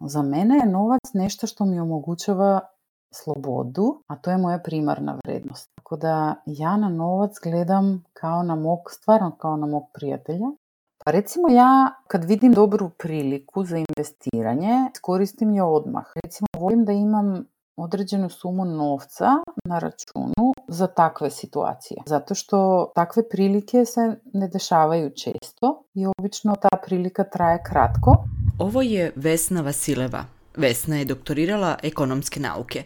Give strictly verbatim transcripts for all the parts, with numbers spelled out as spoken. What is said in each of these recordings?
Za mene je novac nešto što mi omogućava slobodu, a to je moja primarna vrednost. Tako da ja na novac gledam kao na mog, stvarno kao na mog prijatelja. Pa recimo ja kad vidim dobru priliku za investiranje, koristim je odmah. Recimo volim da imam određenu sumu novca na računu za takve situacije. Zato što takve prilike se ne dešavaju često i obično ta prilika traje kratko. Ovo je Vesna Vasileva. Vesna je doktorirala ekonomske nauke.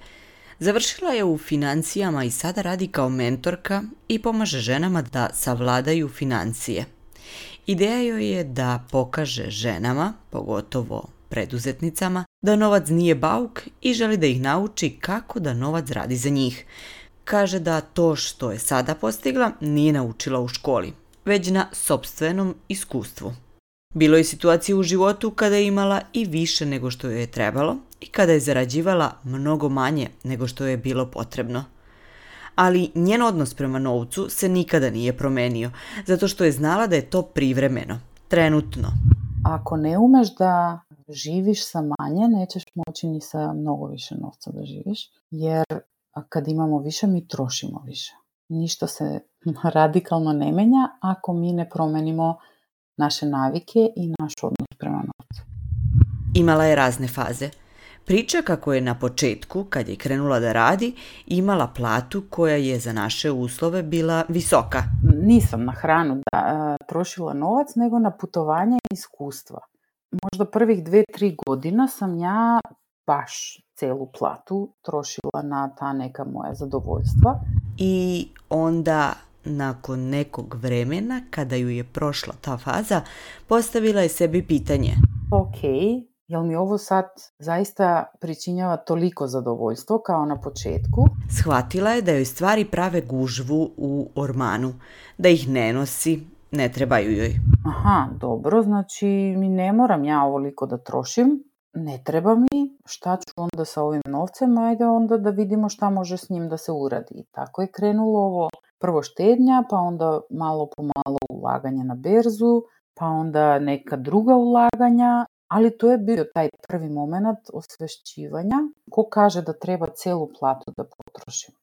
Završila je u financijama i sada radi kao mentorka i pomaže ženama da savladaju financije. Ideja joj je da pokaže ženama, pogotovo preduzetnicama, da novac nije bauk i želi da ih nauči kako da novac radi za njih. Kaže da to što je sada postigla nije naučila u školi, već na sopstvenom iskustvu. Bilo je situacije u životu kada je imala i više nego što joj je trebalo i kada je zarađivala mnogo manje nego što joj je bilo potrebno. Ali njen odnos prema novcu se nikada nije promenio, zato što je znala da je to privremeno, trenutno. Ako ne umeš da živiš sa manje, nećeš moći ni sa mnogo više novca da živiš, jer kad imamo više, mi trošimo više. Ništa se radikalno ne menja ako mi ne promenimo naše navike i naš odnos prema novcu. Imala je razne faze. Priča kako je na početku, kad je krenula da radi, imala platu koja je za naše uslove bila visoka. Nisam na hranu da, uh, trošila novac, nego na putovanje i iskustva. Možda prvih dve, tri godina sam ja baš celu platu trošila na ta neka moja zadovoljstva. I onda, nakon nekog vremena, kada ju je prošla ta faza, postavila je sebi pitanje. Ok, jel mi ovo sad zaista pričinjava toliko zadovoljstvo kao na početku? Shvatila je da joj stvari prave gužvu u ormanu, da ih ne nosi, ne trebaju joj. Aha, dobro, znači mi ne moram ja ovoliko da trošim, ne treba mi, šta ću onda sa ovim novcem, ajde onda da vidimo šta može s njim da se uradi. I tako je krenulo ovo, prvo štednja, pa onda malo po malo ulaganje na berzu, pa onda neka druga ulaganja, ali to je bio taj prvi moment osvešćivanja. Ko kaže da treba celu platu da potrošim?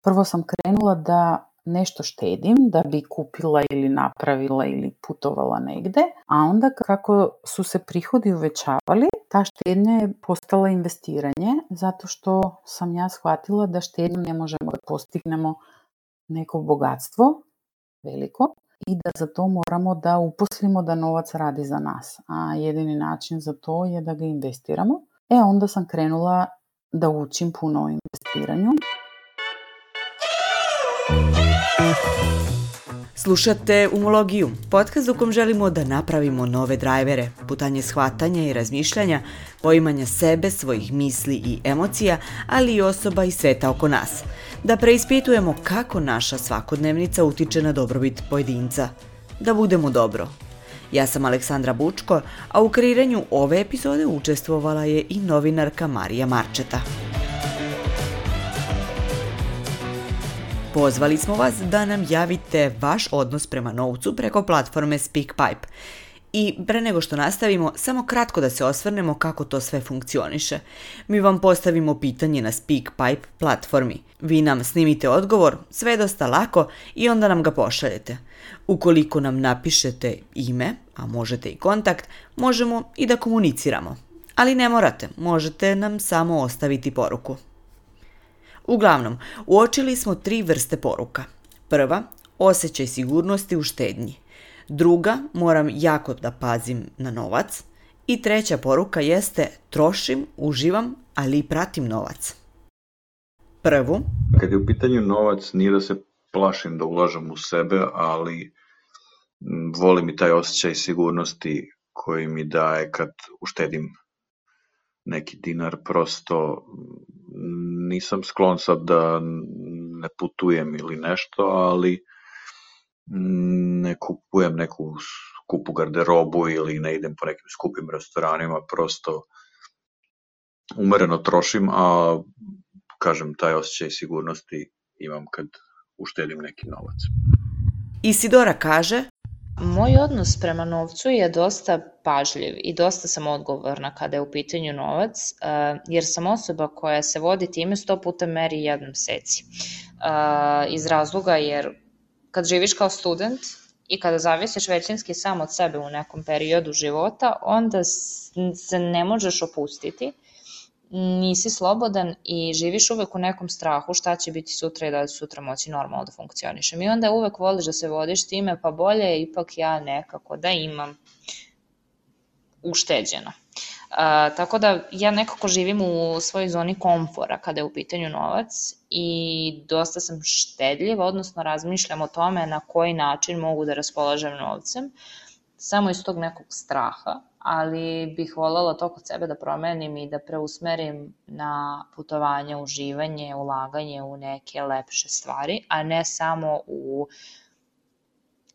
Prvo sam krenula da nešto štedim da bi kupila ili napravila ili putovala negde, a onda kako su se prihodi uvećavali, ta štednja je postala investiranje, zato što sam ja shvatila da štednjom ne možemo da postignemo neko bogatstvo veliko i da za to moramo da uposlimo da novac radi za nas, a jedini način za to je da ga investiramo. E onda sam krenula da učim puno o investiranju. Slušate Umologiju, podcast u kom želimo da napravimo nove drajvere, putanje shvatanja i razmišljanja, poimanja sebe, svojih misli i emocija, ali i osoba i sveta oko nas. Da preispitujemo kako naša svakodnevnica utiče na dobrobit pojedinca. Da budemo dobro. Ja sam Aleksandra Bučko, a u kreiranju ove epizode učestvovala je i novinarka Marija Marčeta. Pozvali smo vas da nam javite vaš odnos prema novcu preko platforme SpeakPipe. I pre nego što nastavimo, samo kratko da se osvrnemo kako to sve funkcioniše. Mi vam postavimo pitanje na SpeakPipe platformi. Vi nam snimite odgovor, sve je dosta lako i onda nam ga pošaljete. Ukoliko nam napišete ime, a možete i kontakt, možemo i da komuniciramo. Ali ne morate, možete nam samo ostaviti poruku. Uglavnom, uočili smo tri vrste poruka. Prva, osjećaj sigurnosti u štednji. Druga, moram jako da pazim na novac. I treća poruka jeste, trošim, uživam, ali i pratim novac. Prvu. Kad je u pitanju novac, nije da se plašim da ulažem u sebe, ali volim i taj osjećaj sigurnosti koji mi daje kad uštedim neki dinar. Prosto nisam sklon sad da ne putujem ili nešto, ali ne kupujem neku skupu garderobu ili ne idem po nekim skupim restoranima, prosto umereno trošim, a kažem, taj osjećaj sigurnosti imam kad uštedim neki novac. Isidora kaže: Moj odnos prema novcu je dosta pažljiv i dosta sam odgovorna kada je u pitanju novac, jer sam osoba koja se vodi time sto puta meri jednom seci. Iz razloga jer kad živiš kao student i kada zavisiš većinski sam od sebe u nekom periodu života, onda se ne možeš opustiti, nisi slobodan i živiš uvek u nekom strahu šta će biti sutra i da li će sutra moći normalno da funkcionišem. I onda uvek voliš da se vodiš time, pa bolje je ipak ja nekako da imam ušteđeno. Uh, tako da ja nekako živim u svojoj zoni komfora kada je u pitanju novac i dosta sam štedljiva, odnosno razmišljam o tome na koji način mogu da raspolažem novcem, samo iz tog nekog straha, ali bih voljela to kod sebe da promenim i da preusmerim na putovanje, uživanje, ulaganje u neke lepše stvari, a ne samo u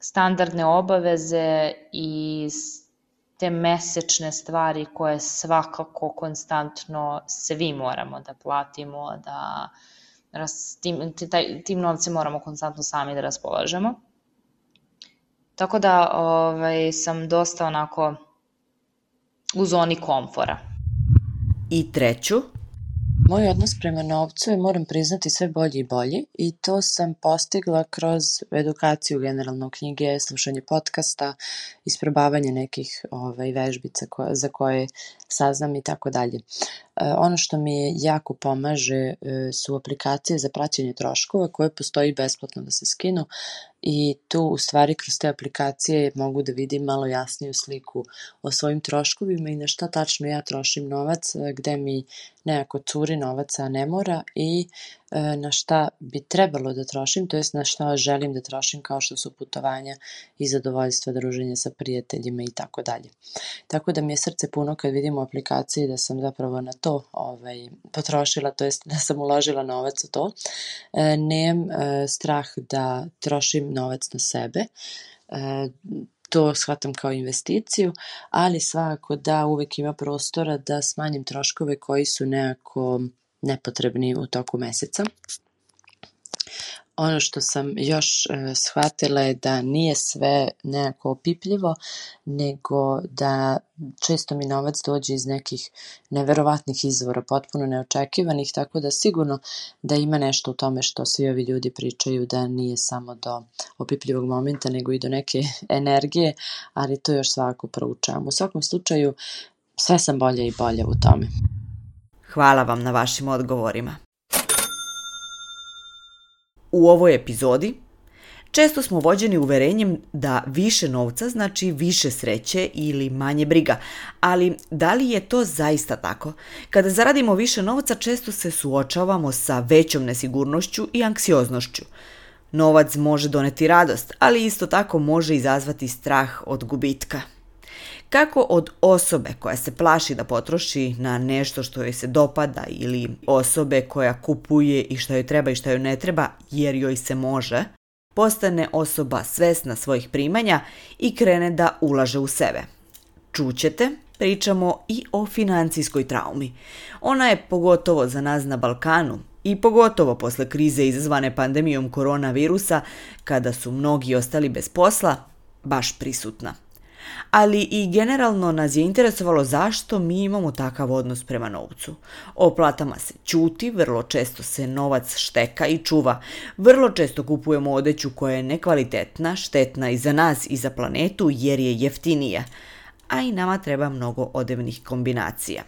standardne obaveze i te mesečne stvari koje svakako konstantno svi moramo da platimo, da tim, tim novcem moramo konstantno sami da raspolažemo. Tako da ovaj, sam dosta onako u zoni komfora. I treću? Moj odnos prema novcu je, moram priznati, sve bolji i bolji i to sam postigla kroz edukaciju generalno, knjige, slušanje podcasta, isprobavanje nekih ovaj, vežbica koje, za koje saznam i tako dalje. Ono što mi je jako pomaže su aplikacije za praćenje troškova koje postoji besplatno da se skinu i tu u stvari kroz te aplikacije mogu da vidim malo jasniju sliku o svojim troškovima i na šta tačno ja trošim novac, gde mi nekako curi novac, a ne mora, i na šta bi trebalo da trošim, to jest na šta želim da trošim, kao što su putovanja i zadovoljstva, druženja sa prijateljima i tako dalje. Tako da mi je srce puno kad vidim u aplikaciji da sam zapravo na to ovaj, potrošila, to jest da sam uložila novac u to. E, nemam e, strah da trošim novac na sebe, e, to shvatam kao investiciju, ali svakako da uvek ima prostora da smanjim troškove koji su nekako nepotrebni u toku meseca. Ono što sam još e, shvatila je da nije sve nekako opipljivo, nego da često mi novac dođe iz nekih neverovatnih izvora, potpuno neočekivanih, tako da sigurno da ima nešto u tome što svi ovi ljudi pričaju, da nije samo do opipljivog momenta, nego i do neke energije, ali to još svakako proučavam. U svakom slučaju, sve sam bolje i bolje u tome. Hvala vam na vašim odgovorima. U ovoj epizodi često smo vođeni uverenjem da više novca znači više sreće ili manje briga, ali da li je to zaista tako? Kada zaradimo više novca često se suočavamo sa većom nesigurnošću i anksioznošću. Novac može doneti radost, ali isto tako može izazvati strah od gubitka. Kako od osobe koja se plaši da potroši na nešto što joj se dopada ili osobe koja kupuje i što joj treba i što joj ne treba jer joj se može, postane osoba svesna svojih primanja i krene da ulaže u sebe. Čućete, pričamo i o financijskoj traumi. Ona je pogotovo za nas na Balkanu i pogotovo posle krize izazvane pandemijom koronavirusa, kada su mnogi ostali bez posla, baš prisutna. Ali i generalno nas je interesovalo zašto mi imamo takav odnos prema novcu. O platama se ćuti, vrlo često se novac šteka i čuva, vrlo često kupujemo odeću koja je nekvalitetna, štetna i za nas i za planetu jer je jeftinija, a i nama treba mnogo odevnih kombinacija.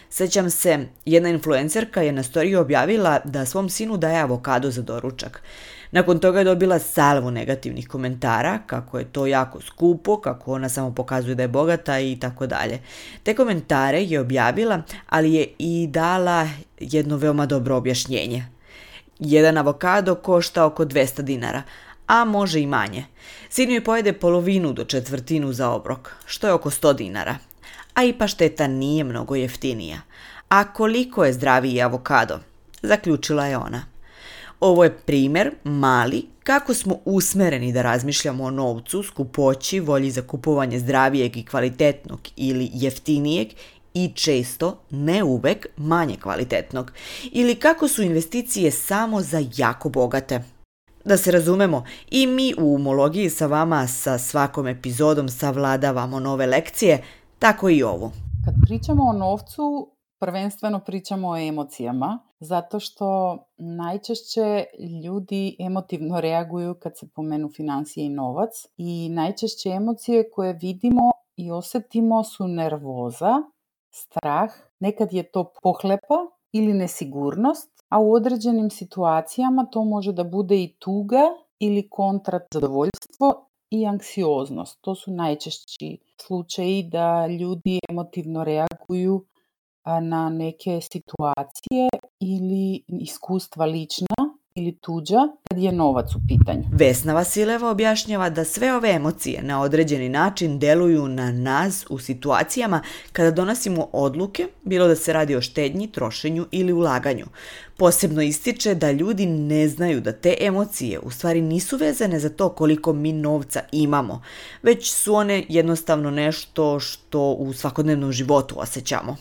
Sećam se, jedna influencerka je na storiji objavila da svom sinu daje avokado za doručak. Nakon toga je dobila salvu negativnih komentara, kako je to jako skupo, kako ona samo pokazuje da je bogata i tako dalje. Te komentare je objavila, ali je i dala jedno veoma dobro objašnjenje. Jedan avokado košta oko dvesta dinara, a može i manje. Sinu je pojede polovinu do četvrtinu za obrok, što je oko sto dinara. A i pašteta nije mnogo jeftinija. A koliko je zdraviji avokado? Zaključila je ona. Ovo je primjer, mali, kako smo usmereni da razmišljamo o novcu, skupoći, volji za kupovanje zdravijeg i kvalitetnog ili jeftinijeg i često, ne uvek, manje kvalitetnog. Ili kako su investicije samo za jako bogate. Da se razumemo, i mi u umologiji sa vama sa svakom epizodom savladavamo nove lekcije, tako i ovu. Kad pričamo o novcu, prvenstveno pričamo o emocijama, zato što najčešće ljudi emotivno reaguju kad se pomenu financije i novac i najčešće emocije koje vidimo i osjetimo su nervoza, strah, nekad je to pohlepa ili nesigurnost, a u određenim situacijama to može da bude i tuga ili kontra zadovoljstvo i anksioznost. To su najčešći slučaji da ljudi emotivno reaguju na neke situacije ili iskustva lična ili tuđa kad je novac u pitanju. Vesna Vasileva objašnjava da sve ove emocije na određeni način deluju na nas u situacijama kada donosimo odluke, bilo da se radi o štednji, trošenju ili ulaganju. Posebno ističe da ljudi ne znaju da te emocije u stvari nisu vezane za to koliko mi novca imamo, već su one jednostavno nešto što u svakodnevnom životu osjećamo.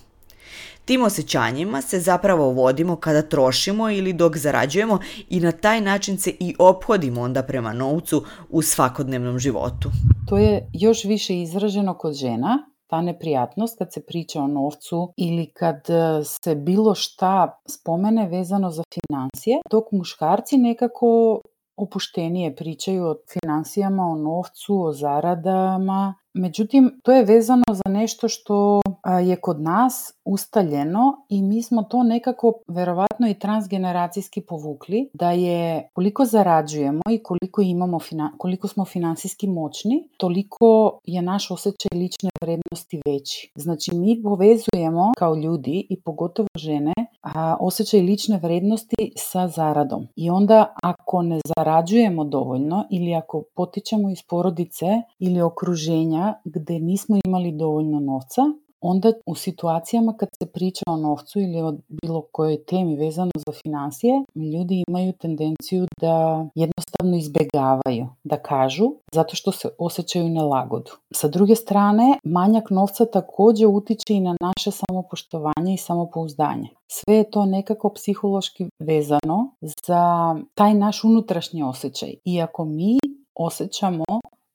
Tim osjećanjima se zapravo vodimo kada trošimo ili dok zarađujemo i na taj način se i ophodimo onda prema novcu u svakodnevnom životu. To je još više izraženo kod žena, ta neprijatnost kad se priča o novcu ili kad se bilo šta spomene vezano za financije, dok muškarci nekako opuštenije pričaju o financijama, o novcu, o zaradama. Međutim, to je vezano za nešto što je kod nas ustaljeno i mi smo to nekako verovatno i transgeneracijski povukli, da je koliko zarađujemo i koliko imamo, koliko smo finansijski moćni, toliko je naš osjećaj lične vrednosti veći. Znači, mi povezujemo kao ljudi i pogotovo žene a, osjećaj lične vrednosti sa zaradom. I onda ako ne zarađujemo dovoljno ili ako potičemo iz porodice ili okruženja gde nismo imali dovoljno novca, onda u situacijama kad se priča o novcu ili o bilo kojoj temi vezano za financije, ljudi imaju tendenciju da jednostavno izbegavaju, da kažu, zato što se osjećaju nelagodu. Sa druge strane, manjak novca također utiče i na naše samopoštovanje i samopouzdanje. Sve je to nekako psihološki vezano za taj naš unutrašnji osjećaj. I ako mi osjećamo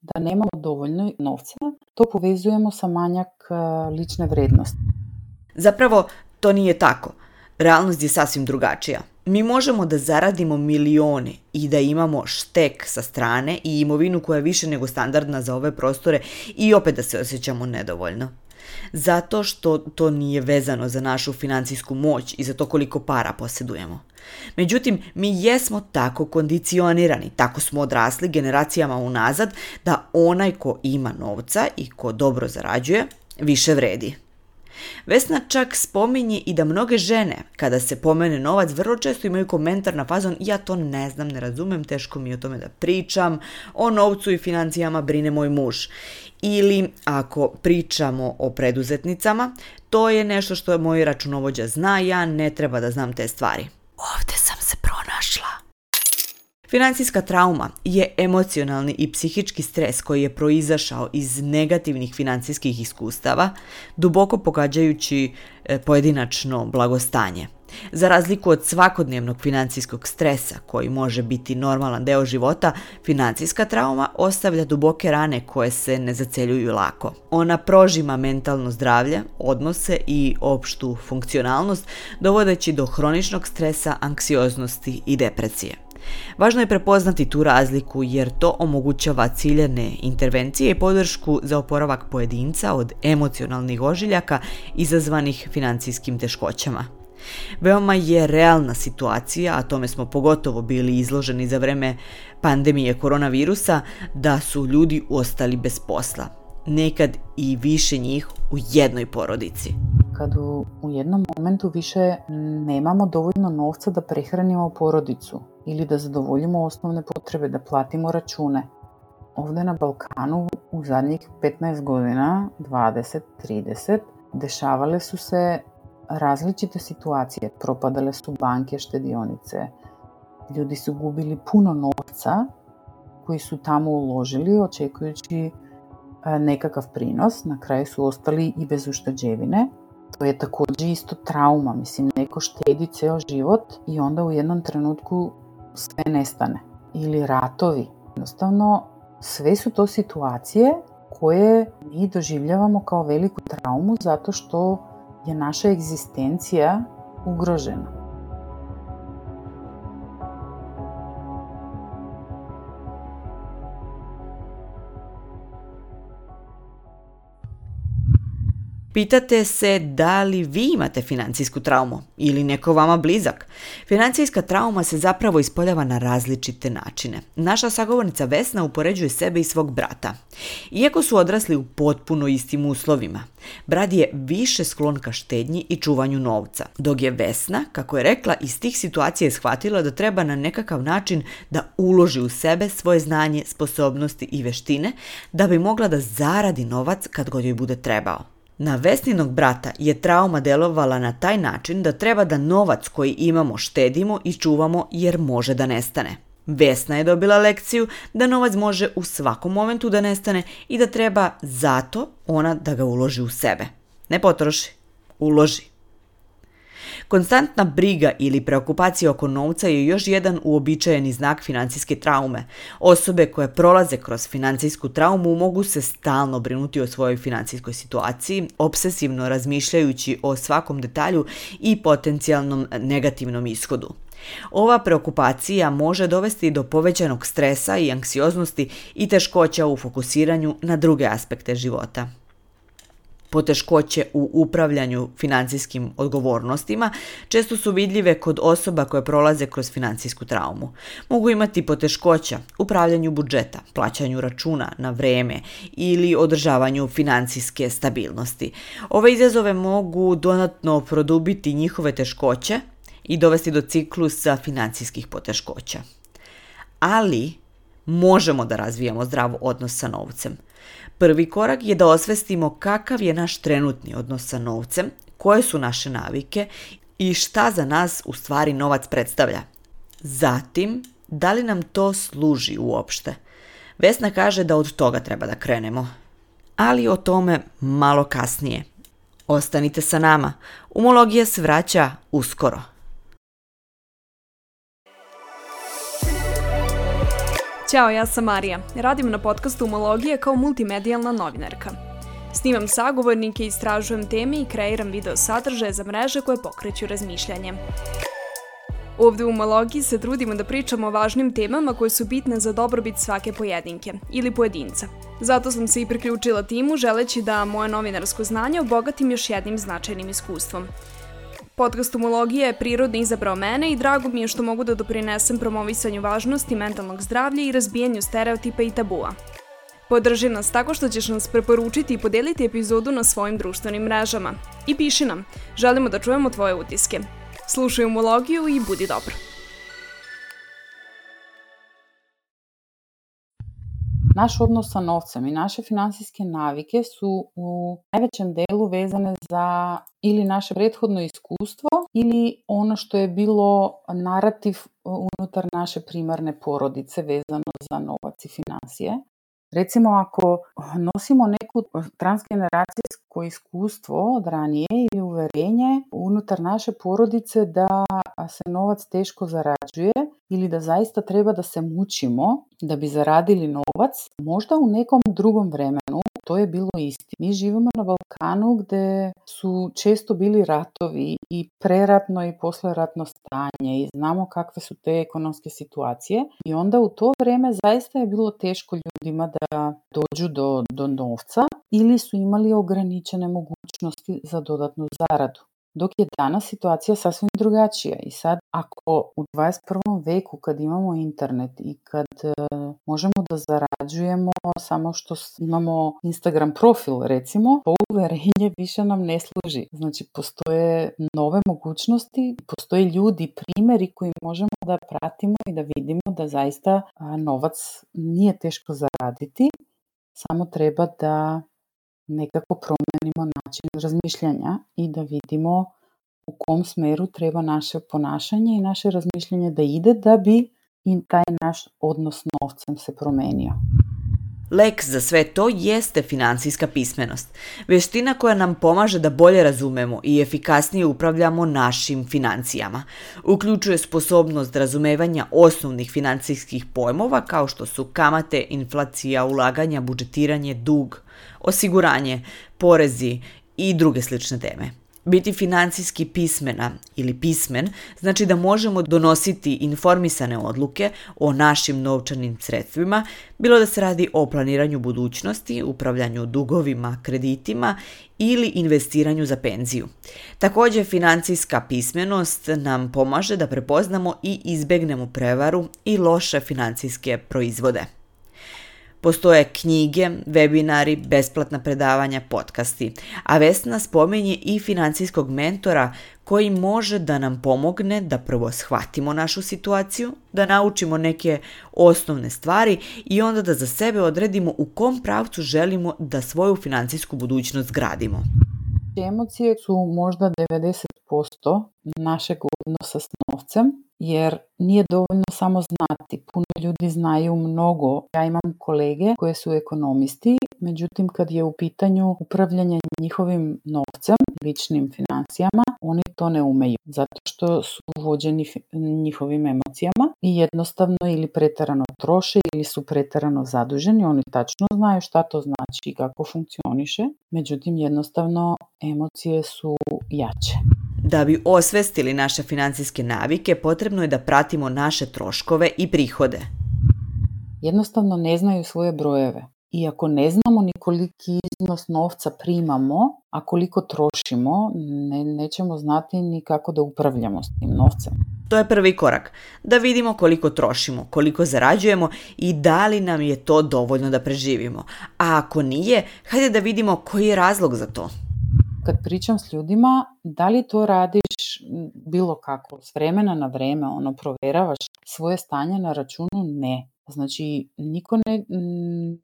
da nemamo dovoljno novca, to povezujemo sa manjak uh, lične vrednosti. Zapravo, to nije tako. Realnost je sasvim drugačija. Mi možemo da zaradimo milione i da imamo štek sa strane i imovinu koja je više nego standardna za ove prostore i opet da se osjećamo nedovoljno. Zato što to nije vezano za našu financijsku moć i za to koliko para posjedujemo. Međutim, mi jesmo tako kondicionirani, tako smo odrasli generacijama unazad da onaj ko ima novca i ko dobro zarađuje, više vredi. Vesna čak spominje i da mnoge žene, kada se pomene novac, vrlo često imaju komentar na fazon ja to ne znam, ne razumem, teško mi je o tome da pričam, o novcu i financijama brine moj muž. Ili ako pričamo o preduzetnicama, to je nešto što moj računovođa zna, ja ne treba da znam te stvari. Ovdje sam se pronašla. Financijska trauma je emocionalni i psihički stres koji je proizašao iz negativnih financijskih iskustava, duboko pogađajući pojedinačno blagostanje. Za razliku od svakodnevnog financijskog stresa koji može biti normalan deo života, financijska trauma ostavlja duboke rane koje se ne zaceljuju lako. Ona prožima mentalno zdravlje, odnose i opštu funkcionalnost, dovodeći do hroničnog stresa, anksioznosti i depresije. Važno je prepoznati tu razliku jer to omogućava ciljane intervencije i podršku za oporavak pojedinca od emocionalnih ožiljaka izazvanih financijskim teškoćama. Veoma je realna situacija, a tome smo pogotovo bili izloženi za vreme pandemije koronavirusa, da su ljudi ostali bez posla. Nekad i više njih u jednoj porodici. Kad u, u jednom momentu više nemamo dovoljno novca da prehranimo porodicu ili da zadovoljimo osnovne potrebe, da platimo račune. Ovdje na Balkanu u zadnjih petnaest godina, dvadeset trideset, dešavale su se različite situacije. Propadale su banke, štedionice. Ljudi su gubili puno novca koji su tamo uložili očekujući nekakav prinos. Na kraju su ostali i bez ušteđevine. To je također isto trauma. Mislim, neko štedi ceo život i onda u jednom trenutku sve nestane. ili ratovi. Jednostavno, sve su to situacije koje mi doživljavamo kao veliku traumu zato što je naša egzistencija ugrožena. Pitate se da li vi imate financijsku traumu ili neko vama blizak. Financijska trauma se zapravo ispoljava na različite načine. Naša sagovornica Vesna upoređuje sebe i svog brata. Iako su odrasli u potpuno istim uslovima, brat je više sklon ka štednji i čuvanju novca, dok je Vesna, kako je rekla, iz tih situacija shvatila da treba na nekakav način da uloži u sebe svoje znanje, sposobnosti i veštine da bi mogla da zaradi novac kad god joj bude trebao. Na Vesninog brata je trauma delovala na taj način da treba da novac koji imamo štedimo i čuvamo jer može da nestane. Vesna je dobila lekciju da novac može u svakom momentu da nestane i da treba zato ona da ga uloži u sebe. Ne potroši, uloži. Konstantna briga ili preokupacija oko novca je još jedan uobičajeni znak financijske traume. Osobe koje prolaze kroz financijsku traumu mogu se stalno brinuti o svojoj financijskoj situaciji, obsesivno razmišljajući o svakom detalju i potencijalnom negativnom ishodu. Ova preokupacija može dovesti do povećanog stresa i anksioznosti i teškoća u fokusiranju na druge aspekte života. Poteškoće u upravljanju financijskim odgovornostima često su vidljive kod osoba koje prolaze kroz financijsku traumu. Mogu imati poteškoća u upravljanju budžeta, plaćanju računa na vreme ili održavanju financijske stabilnosti. Ove izazove mogu dodatno produbiti njihove teškoće i dovesti do ciklusa financijskih poteškoća. Ali možemo da razvijamo zdrav odnos sa novcem. Prvi korak je da osvestimo kakav je naš trenutni odnos sa novcem, koje su naše navike i šta za nas u stvari novac predstavlja. Zatim, da li nam to služi uopšte? Vesna kaže da od toga treba da krenemo. Ali o tome malo kasnije. Ostanite sa nama. Umologija se vraća uskoro. Ćao, ja sam Marija. Radim na podcastu Umologije kao multimedijalna novinarka. Snimam sagovornike, istražujem teme i kreiram video sadržaje za mreže koje pokreću razmišljanje. Ovdje u Umologiji se trudimo da pričamo o važnim temama koje su bitne za dobrobit svake pojedinke ili pojedinca. Zato sam se i priključila timu želeći da moje novinarsko znanje obogatim još jednim značajnim iskustvom. Podcast Umologija je prirodno izabrao mene i drago mi je što mogu da doprinesem promovisanju važnosti mentalnog zdravlja i razbijanju stereotipa i tabua. Podrži nas tako što ćeš nas preporučiti i podeliti epizodu na svojim društvenim mrežama. I piši nam, želimo da čujemo tvoje utiske. Slušaj Umologiju i budi dobar. Naš odnos sa novcem i naše finansijske navike su u najvećem delu vezane za ili naše prethodno iskustvo ili ono što je bilo narativ unutar naše primarne porodice vezano za novac i financije. Recimo, ako nosimo neku transgeneracijsko iskustvo od ranije ili uverenje unutar naše porodice da se novac teško zarađuje ili da zaista treba da se mučimo da bi zaradili novac, možda u nekom drugom vremenu to je bilo isti. Mi živimo na Balkanu gde su često bili ratovi i preratno i posleratno stanje i znamo kakve su te ekonomske situacije i onda u to vreme zaista je bilo teško ljudima da dođu do, do novca ili su imali ograničene mogućnosti za dodatnu zaradu. Dok je danas situacija sasvim drugačija i sad ako u dvadeset prvom veku kad imamo internet i kad e, možemo da zarađujemo samo što imamo Instagram profil recimo, to uverenje više nam ne služi. Znači postoje nove mogućnosti, postoje ljudi, primjeri koji možemo da pratimo i da vidimo da zaista a, novac nije teško zaraditi, samo treba da nekako promenimo način razmišljanja i da vidimo u kom smeru treba naše ponašanje i naše razmišljanje da ide da bi i taj naš odnos s novcem se promenio. Lek za sve to jeste finansijska pismenost, veština koja nam pomaže da bolje razumemo i efikasnije upravljamo našim financijama. Uključuje sposobnost razumevanja osnovnih finansijskih pojmova kao što su kamate, inflacija, ulaganja, budžetiranje, dug, osiguranje, porezi i druge slične teme. Biti finansijski pismena ili pismen znači da možemo donositi informisane odluke o našim novčanim sredstvima, bilo da se radi o planiranju budućnosti, upravljanju dugovima, kreditima ili investiranju za penziju. Također, financijska pismenost nam pomaže da prepoznamo i izbegnemo prevaru i loše financijske proizvode. Postoje knjige, webinari, besplatna predavanja, podcasti, a Vesna spominje i financijskog mentora koji može da nam pomogne da prvo shvatimo našu situaciju, da naučimo neke osnovne stvari i onda da za sebe odredimo u kom pravcu želimo da svoju financijsku budućnost gradimo. Emocije su možda devedeset posto našeg odnosa s novcem, jer nije dovoljno samo znati. Puno ljudi znaju mnogo. Ja imam kolege koje su ekonomisti, međutim kad je u pitanju upravljanje njihovim novcem, ličnim financijama, oni to ne umeju, zato što su vođeni njihovim emocijama i jednostavno ili preterano troše ili su preterano zaduženi. Oni tačno znaju šta to znači i kako funkcioniše, međutim jednostavno emocije su jače. Da bi osvestili naše financijske navike, potrebno je da pratimo naše troškove i prihode. Jednostavno ne znaju svoje brojeve. I ako ne znamo ni koliki iznos novca primamo, a koliko trošimo, ne, nećemo znati ni kako da upravljamo s tim novcem. To je prvi korak, da vidimo koliko trošimo, koliko zarađujemo i da li nam je to dovoljno da preživimo. A ako nije, hajde da vidimo koji je razlog za to. Kad pričam s ljudima, da li to radiš bilo kako, s vremena na vreme, ono, provjeravaš svoje stanje na računu? Ne. Znači, niko ne,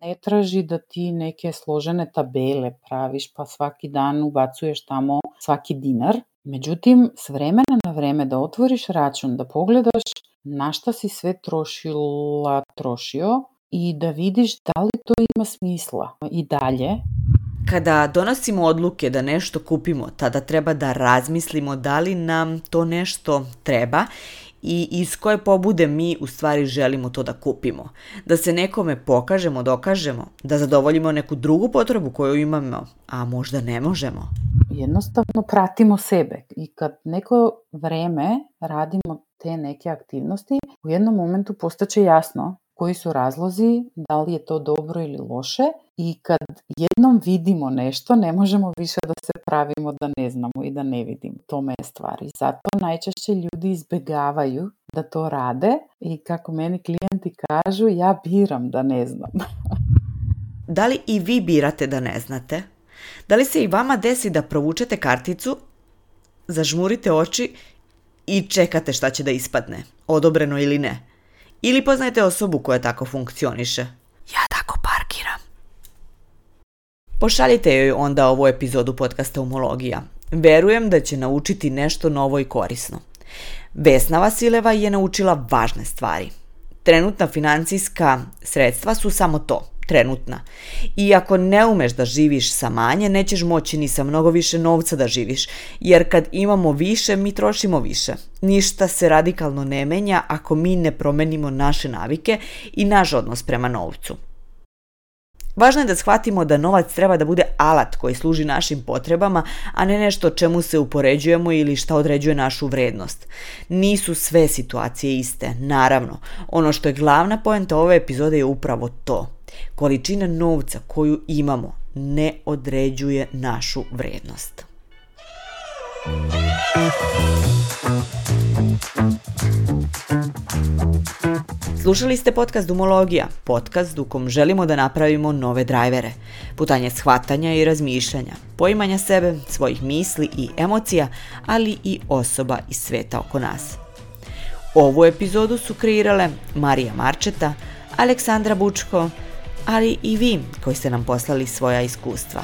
ne traži da ti neke složene tabele praviš, pa svaki dan ubacuješ tamo svaki dinar. Međutim, s vremena na vreme da otvoriš račun, da pogledaš na šta si sve trošila, trošio i da vidiš da li to ima smisla i dalje. Kada donosimo odluke da nešto kupimo, tada treba da razmislimo da li nam to nešto treba i iz koje pobude mi u stvari želimo to da kupimo. Da se nekome pokažemo, dokažemo, da zadovoljimo neku drugu potrebu koju imamo, a možda ne možemo. Jednostavno pratimo sebe i kad neko vreme radimo te neke aktivnosti, u jednom momentu postaće jasno koji su razlozi, da li je to dobro ili loše i kad jednom vidimo nešto, ne možemo više da se pravimo da ne znamo i da ne vidimo. Tome je stvar. I zato najčešće ljudi izbjegavaju da to rade i kako meni klijenti kažu, ja biram da ne znam. Da li i vi birate da ne znate? Da li se i vama desi da provučete karticu, zažmurite oči i čekate šta će da ispadne, odobreno ili ne? Ili poznajete osobu koja tako funkcioniše? Ja tako parkiram. Pošaljite joj onda ovu epizodu podcasta Umologija. Verujem da će naučiti nešto novo i korisno. Vesna Vasileva je naučila važne stvari. Trenutna financijska sredstva su samo to, trenutna. I ako ne umeš da živiš sa manje, nećeš moći ni sa mnogo više novca da živiš, jer kad imamo više, mi trošimo više. Ništa se radikalno ne menja ako mi ne promenimo naše navike i naš odnos prema novcu. Važno je da shvatimo da novac treba da bude alat koji služi našim potrebama, a ne nešto čemu se upoređujemo ili šta određuje našu vrednost. Nisu sve situacije iste, naravno. Ono što je glavna poenta ove epizode je upravo to. Količina novca koju imamo ne određuje našu vrednost. Slušali ste podcast Umologija, podcast u kom želimo da napravimo nove drajvere, putanje shvatanja i razmišljanja, poimanja sebe, svojih misli i emocija, ali i osoba iz sveta oko nas. Ovu epizodu su kreirale Marija Marčeta, Aleksandra Bučko, ali i vi koji ste nam poslali svoja iskustva.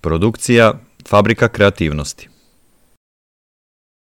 Produkcija Fabrika kreativnosti.